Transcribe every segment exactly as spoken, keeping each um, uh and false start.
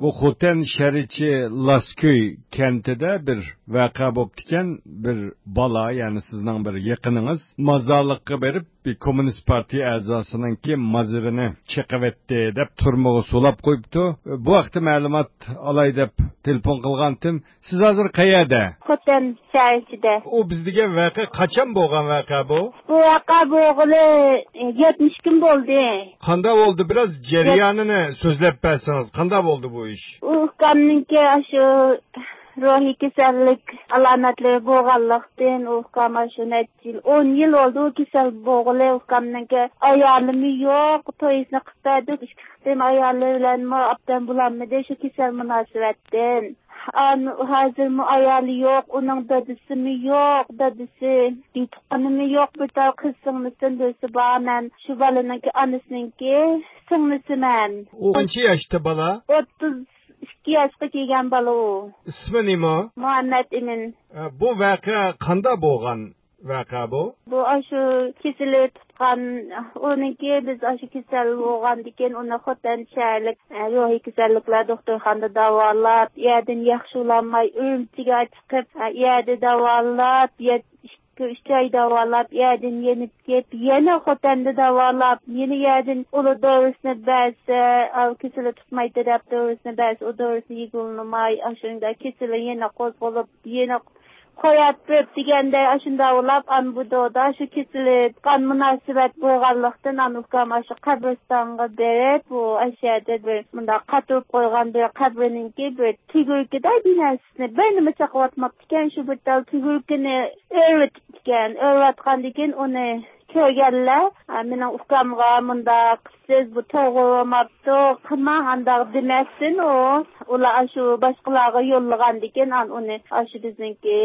بۇ خوتەن شەھىرىچى لاسكۆي كەنتىدە بىر ۋەقە بوپتىكەن. بىر بالا، يەنى سىزنىڭ بىر يېقىنىڭىز مازارلىققا بېرىپ، بىر كوممۇنىست پارتىيە ئەزاسىنىڭكى مازىرىنى چېقىۋەتتى دەپ تۈرمىگە سولاپ قويۇپتۇ. بۇ ھەقتە مەلۇمات ئالاي دەپ تېلېفون قىلغانتىم. سىز ھازىر قەيەردە؟ خوتەن شەھەر ئىچىدە. ئۇ بىز دېگەن ۋەقە قاچان بولغان ۋەقە بۇ؟ بۇ ۋەقە بولغىلى يەتمىش كۈن بولدى. قانداق بولدى؟ بىراز جەريانىنى سۆزلەپ بەرسىڭىز، قانداق بولدى بۇ ئىش؟ ئۇ ئۇكامنىڭكى ئاشۇ روھىي كېسەللىك ئالامەتلىرى بولغانلىقتىن، ئۇ ئۇكام ئاشۇ نەچچە يىل، ئون يىل بولدى ئۇ كېسەل بولغىلى. ئۇكامنىڭكى ئايالىمۇ يوق، تويىنى قىلىپ بەردۇق، ئىككى قېتىم ئايالى بىلەنمۇ ئاپتەم بولالمىدى شۇ كېسەل مۇناسىۋەتتىن. ئان-، ھازىرمۇ ئايالى يوق، ئۇنىڭ دادىسىمۇ يوق، دادىسى، بىر تۇغقىنىمۇ يوق، بىر تال قىز سىڭلىسىم بىرسى بار. مەن شۇ بالىنىڭكى ئانىسىنىڭكى سىڭلىسىمەن. ئۇ قانچە ياشتا بالا؟ ئوتتۇز ئىككى ياشقا كىرگەن بالا ئۇ. ئىسمى نېمە؟ مۇھەممەت ئىمىن. ئە، بۇ ۋەقە قانداق بولغان ۋەقە بۇ؟ بۇ ئاشۇ كېسىلى تۇتقان، ئۇنىڭكى بىز ئاشۇ كېسەل بولغاندىكىن ئۇنى خوتەن شەھەرلىك، ئە، روھىي كېسەللىكلەر دوختۇرخانىدا داۋالاپ، يەردىن ياخشى بولالماي ئۈرۈمچىگە چىقىپ، ئە، يەردە داۋالاپ، يەت-، ئىككى، ئۈچ ئاي داۋالاپ، يەردىن يېنىپ كېلىپ، يەنە خوتەندە داۋالاپ، يەنە يەردىن ئۇلار دورىسىنى بەرسە، ئاۋۇ كېسىلى تۇتمايتتى دەپ دورىسىنى بەرسە، ئۇ دورىسىنى يېگىلىماي، ئاشۇنداق كېسىلى يەنە قوزغىلىپ، يەنە قويۇپ بېرىپ دېگەندەك، ئاشۇنداق بولاپ، ئان بۇ دودا شۇ كېسىلى قان مۇناسىۋەت بولغانلىقتىن، ئان ئۇكام ئاشۇ قەبرىستانغا بېرىپ، بۇ ئاشۇ يەردە بىر مۇنداق قاتۇرۇپ قويغان بىر قەبرىنىڭكى بىر تۈگۈركىدە بىر نەرسىنى، بىر نېمە چاقىۋاتماپتىكەن، شۇ بىر تال تۈگۈركىنى ئۆرۈۋېتىپتىكەن. ئۆرۈۋاتقاندىكىن ئۇنى كۆرگەنلەر، ئا، مېنىڭ ئۇكامغا مۇنداق قىپسىز، بۇ توغرا بولماپتۇ، قىلماڭ، ئانداق دېمەسسىن ئۇ. ئۇلار ئاشۇ باشقىلارغا يوللىغاندىكىن، ئان ئۇنى ئاشۇ بىزنىڭكى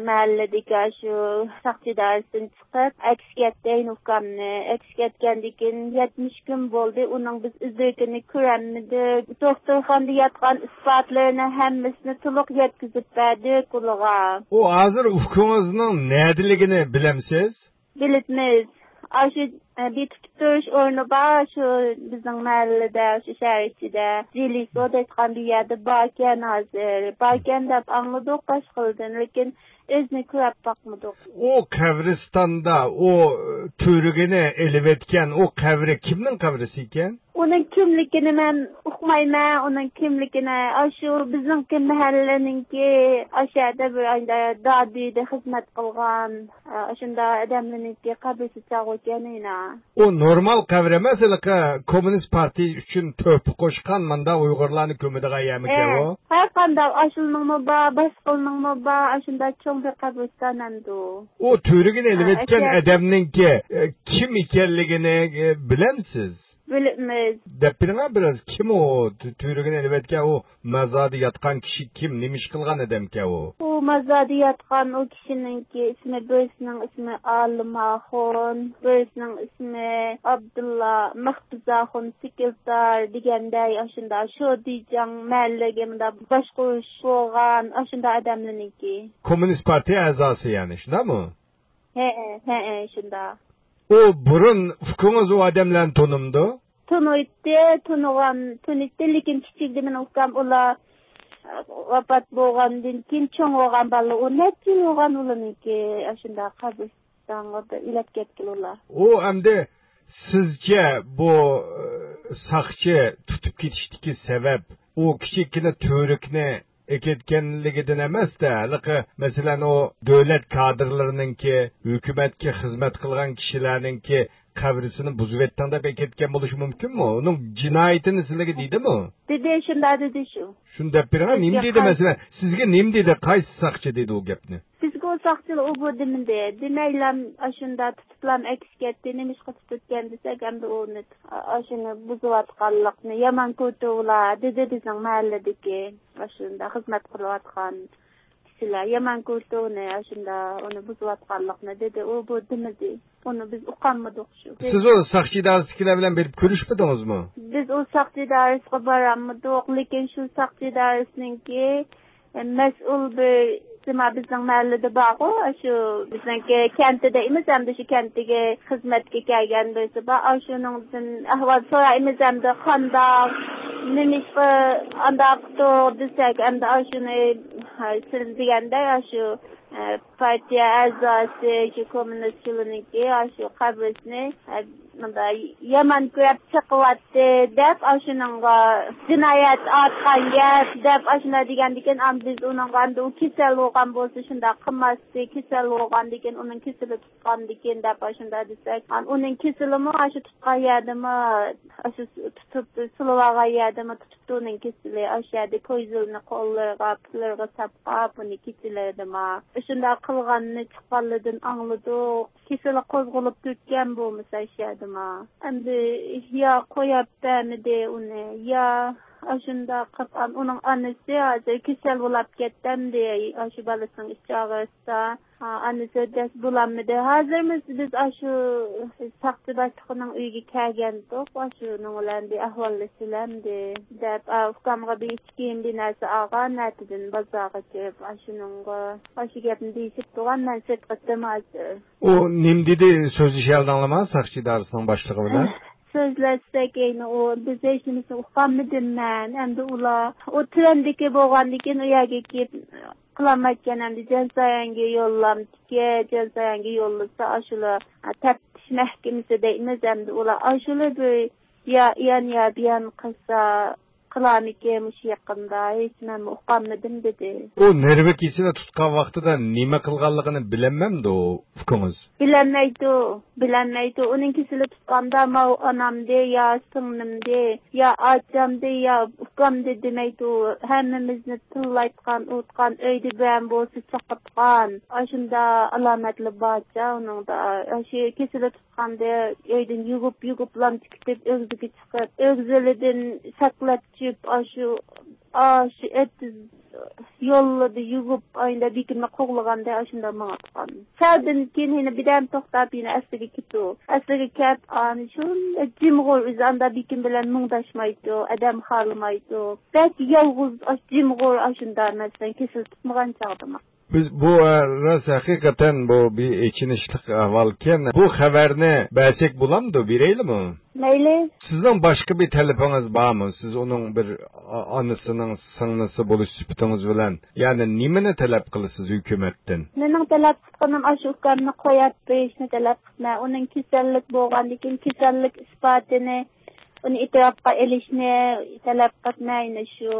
مەھەللىدىكى ئاشۇ ساقچى ئىدارىسىدىن چىقىپ، ئەكسىگە ئەتتى ئۇكامنى. ئەكسىگە ئەتكەندىكىن يەتمىش كۈن بولدى، ئۇنىڭ بىز ئىز-دېرىكىنى كۆرەلمىدۇق. دوختۇرخانىدا ياتقان ئىسپاتلىرىنى ھەممىسىنى تولۇق يەتكۈزۈپ بەردۇق ئۇلىغا. ئۇ ھازىر ئۇكىڭىزنىڭ نەدىلىكىنى بىلەمسىز؟ بىلىپمىز. ئاشۇ، ئە، بېكىتىپ تۇرۇش ئورنى بار، شۇ بىزنىڭ مەھەللىدە، شۇ شەھەر ئىچىدە. جىلىسو دەيدىغان بىر يەردە باركەن ھازىر. باركەن دەپ ئاڭلىدۇق باشقىلاردىن، لېكىن ئۆزىنى كۆرۈپ باقمىدۇق. ئۇ قەبرىستاندا، ئۇ تۈۋرۈكىنى ئېلىۋەتكەن، ئۇ قەبرە كىمنىڭ قەبرىسى ئىكەن؟ ئۇنىڭ كىملىكىنى مەن ئۇقمايمەن، ئۇنىڭ كىملىكىنى. ئاشۇ بىزنىڭكى مەھەللىنىڭكى، ئاشۇ يەردە بىر ئايدا دادۈيدە خىزمەت قىلغان، ئاشۇنداق ئادەملەرنىڭكى قەبرىسى چاغۇ ئىكەن ئىنا. ئۇ نورمال قەبرە ئەمەس، ھېلىقى كوممۇنىست پارتىيە ئۈچۈن تۆھپە قوشقان مۇنداق ئۇيغۇرلارنى كۆمىدىغان يەرمىكەن ئۇ؟ ھەر قانداق ئاشۇلنىڭمۇ بار، باشقىلنىڭمۇ بار، ئاشۇنداق چوڭ بىر قەبرىستان ئەمدى ئۇ. ئۇ تۈۋرۈكىنى ئېلىۋەتكەن ئادەمنىڭكى، ئە، كىم ئىكەنلىكىنى، ئە، بىلەمسىز؟ بىلىمىز. دەپ بېرىڭە بىراز، كىم ئۇ تۈ-، تۈۋرۈكىنى ئېلىۋەتكەن ئۇ؟ مازاردا ياتقان كىشى كىم، نېمە ئىش قىلغان ئادەمكەن ئۇ؟ ئۇ مازاردا ياتقان ئۇ كىشىنىڭكى ئىسمى، بىرسىنىڭ ئىسمى ئالىم ئاخۇن، بىرسىنىڭ ئىسمى ئابدۇللا، مەخپىز ئاخۇن، سېكرېتار دېگەندەك، ئاشۇنداق شودىجاڭ مەھەللىگە مۇنداق باشقۇرۇش بولغان، ئاشۇنداق ئادەملەرنىڭكى. كوممۇنىست پارتىيە ئەزاسى يەنى، شۇنداقمۇ؟ ھەئە، ھەئە، شۇنداق. ئۇ بۇرۇن ئۇكىڭىز ئۇ ئادەملەرنى تونۇمدۇ؟ تونۇيتتى، تونۇغان، تونۇيتتى، لېكىن كىچىكىدە مېنىڭ ئۇكام ئۇلار، ئە، ۋاپات بولغاندىن كېيىن چوڭ بولغان بالىلار، ئۇ نەچچە يىل بولغان ئۇلارنىڭكى، ئاشۇنداق قەبرىستانغا ئېلىپ كەتكىلى ئۇلار. ئۇ ئەمدى سىزچە بۇ، ئە، ساقچى تۇتۇپ كېتىشتىكى سەۋەب، ئۇ كىچىككىنە تۈۋرۈكنى ئەكەتكەنلىكىدىن ئەمەستە، ھېلىقى، مەسىلەن، ئۇ دۆلەت كادىرلىرىنىڭكى، ھۆكۈمەتكە خىزمەت قىلغان كىشىلەرنىڭكى قەبرىسىنى بۇزۇۋەتتىڭ دەپ ئەكەتكەن بولۇشى مۇمكىنمۇ؟ ئۇنىڭ جىنايىتىنى سىلەرگە دېدىمۇ؟ دېدى، شۇنداق دېدى شۇ. شۇنداق دەپ بېرىڭە، نېمە دېدى مەسىلەن؟ سىزگە نېمە دېدى؟ قايسى ساقچى دېدى ئۇ گەپنى؟ بىزگە ئۇ ساقچىلار ئۇ بۇ دېمىدى. دېمەيلام ئاشۇنداق تۇتۇپلام ئەكسىگە ئەتتى، نېمىشقا تۇتۇپ كەتكەن دېسەك، ئەمدى ئۇنى، ئاشۇنى بۇزۇۋاتقانلىقنى يامان كۆرۈپتۇ ئۇلار، دېدى بىزنىڭ مەھەللىدىكى ئاشۇنداق خىزمەت قىلىۋاتقان كىشىلەر. يامان كۆرۈپتۇ ئۇنى، ئاشۇنداق ئۇنى بۇزۇۋاتقانلىقنى، دېدى. ئۇ بۇ دېمىدى. ئۇنى بىز ئۇقالمىدۇق شۇ. سىز ئۇ ساقچى ئىدارىسىدىكىلەر بىلەن بېرىپ كۆرۈشمىدىڭىزمۇ؟ بىز ئۇ ساقچى ئىدارىسىغا بارالمىدۇق، لېكىن شۇ ساقچى ئىدارىسىنىڭكى، ئە، مەسئۇل بىر ئىجتىما بىزنىڭ مەھەللىدە بارغۇ، شۇ بىزنىڭكى كەنتىدە ئەمەس، ئەمدى شۇ كەنتىگە خىزمەتكە كەلگەن بىرسى بار. ئاشۇنىڭدىن ئەھۋال سورايمىز، ئەمدى قانداق، نېمىشقا ئانداق قىلدۇق دېسەك، ئەمدى ئاشۇنى، ھە، سىز دېگەندەك، ئاشۇ، ئە، پارتىيە ئەزاسى، شۇ كوممۇنىست شۇلىنىڭكى، ئاشۇ قەبرىسىنى، ئە، مۇنداق يامان كۆرۈپ چېقىۋاتتى دەپ، ئاشۇنىڭغا جىنايەت ئارتقان گەپ دەپ، ئاشۇنداق دېگەندىكىن، ئەمدى بىز ئۇنىڭغا، ئەمدى ئۇ كېسەل بولغان بولسا شۇنداق قىلماستى، كېسەل بولغاندىكىن، ئۇنىڭ كېسىلى تۇتقاندىكىن دەپ ئاشۇنداق دېسەك، ئۇنىڭ كېسىلىمۇ ئاشۇ تۇتقان يەردىمۇ، ئاشۇ تۇتۇپ سولىۋالغان يەردىمۇ تۇتۇپتۇ ئۇنىڭ كېسىلى. ئاشۇ يەردە كويزىلنى قوللىرىغا، پۇتلىرىغا ساپقاپ، ئۇنى كېسىلىدىمۇ. شۇنداق قىلغاننى چىققانلىرىدىن ئاڭلىدۇق. كېسىلى قوزغىلىپ كەتكەن بولمىسا ئاشۇ يەردىمۇ. ئەمدى يا قويۇپ بەرمىدى ئۇنى، يا ئاشۇنداق قىلىپ، ئان-، ئۇنىڭ ئانىسى ھازىر كېسەل بولاپ كەتتى ئەمدى، ئاشۇ بالىسىنىڭ ئىچ ئاغرىسىدا. ھا، ئانىسى دەس بولالمىدى. ھازىرمۇ بىز ئاشۇ ساقچى باشلىقىنىڭ ئۆيىگە كەلگەنتۇق، ئاشۇنىڭ بىلەن بىر ئەھۋاللىشىلەمدى دەپ، ئا، ئۇكامغا بىر ئىچ كىيىم، بىر نەرسە ئالغان، ئەتىدىن بازارغا كىرىپ، ئاشۇنىڭغا ئاشۇ گەپنى دېيىشىپ تۇرغان، مەن سىرتقا چىقتىم ھازىر. ئۇ نېمە دېدى؟ سۆزلىشەلدىڭلارمۇ ساقچى ئىدارىسىنىڭ باشلىقى بىلەن؟ سۆزلەشسەك، ئەينى ئۇ، بىز ھېچ نېمىسىنى ئۇقالمىدىم مەن. ئەمدى ئۇلار، ئۇ تۆۋەندىكى بولغاندىكىن، ئۇ يەرگە كېلىپ قىلالمايدىكەن، ئەمدى جازايانگە يوللامدىكى، جازايانگە يوللىسا، ئاشۇلار، ھە، تەپتىش مەھكىمىسى دەيمىز، ئەمدى ئۇلار ئاشۇلار بىر يا ئىيان، يا بىيان قىلسا، قىلارمىكىن مۇشۇ يېقىندا، ھېچ مەنمۇ ئۇقالمىدىم، دېدى. ئۇ نېرۋا كېسىلى تۇتقان ۋاقتىدا نېمە قىلغانلىقىنى بىلەلمەمدۇ ئۇكىڭىز؟ بىلەلمەيدۇ، بىلەلمەيدۇ. ئۇنىڭ كېسىلى تۇتقاندا ماۋۇ ئانامدى يا سىڭلىمدى يا ئاچامدى يا ئۇكامدى دېمەيدۇ. ھەممىمىزنى تىللايتقان، ئۇرۇتقان، ئۆيدە بىرەم بولسا چاقىرتقان. ئاشۇنداق ئالامەتلەر بارچە ئۇنىڭدا. ئاشۇ كېسىلى تۇتقاندا ئۆيدىن يۇگۇپ، يۇگۇپ لامچە كېتىپ، ئۆگزىگە چىقىپ، ئۆگزىلىدىن سەكلەپ چۈشۈپ، ئاشۇ، ئاشۇ ئېتىز يوللىرىدا يۈگۈپ، ئاينىدا بېكىنمە قوغلىغاندا ئاشۇنداق ماڭىدىغان. سەلدىن كېيىن يەنە بىردەم توختاپ، يەنە ئەسلىگە كېتىدۇ. ئەسلىگە كەپ، ئانى شۇنداق جىمغۇر، ئۆزى ئاندا بېكىن بىلەن مۇڭداشمايدۇ، ئادەم خالىمايدۇ. بەك يالغۇز، ئاش-، جىمغۇر ئاشۇنداق، مەسىلەن، كېسىل تۇتمىغان چاغدىمۇ. بىز بۇ، ئە، راست ھەقىقەتەن بۇ بىر ئېچىنىشلىق ئەھۋالكەن. بۇ خەۋەرنى بەرسەك بولامدۇ، بېرەيلىمۇ؟ مەيلى. سىزنىڭ باشقا بىر تەلىپىڭىز بارمۇ؟ سىز ئۇنىڭ بىر ئا-، ئانىسىنىڭ سىڭلىسى بولۇش سۈپىتىڭىز بىلەن، يەنى نېمىنى تەلەپ قىلىسىز ھۆكۈمەتتىن؟ مېنىڭ تەلەپ قىلغىنىم ئاشۇ ئۇكامنى قويۇپ بېرىشنى تەلەپ قىلىمەن. ئۇنىڭ كېسەللىك بولغاندىن كېيىن كېسەللىك ئىسپاتىنى، ئۇنى ئېتىراپقا ئېلىشنى تەلەپ قىلىمەن. يەنە شۇ،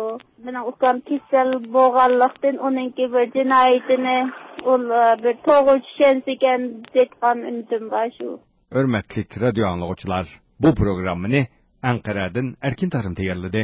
مېنىڭ ئۇكام كېسەل بولغانلىقتىن، ئۇنىڭكى بىر جىنايىتىنى ئۇلار بىر توغرا چۈشەنسىكەن دەيدىغان ئۈمىدىم بار شۇ. ھۆرمەتلىك رادىيو ئاڭلىغۇچىلار، بۇ پروگراممىنى ئەنقەرەدىن ئەركىن تارىم تەييارلىدى.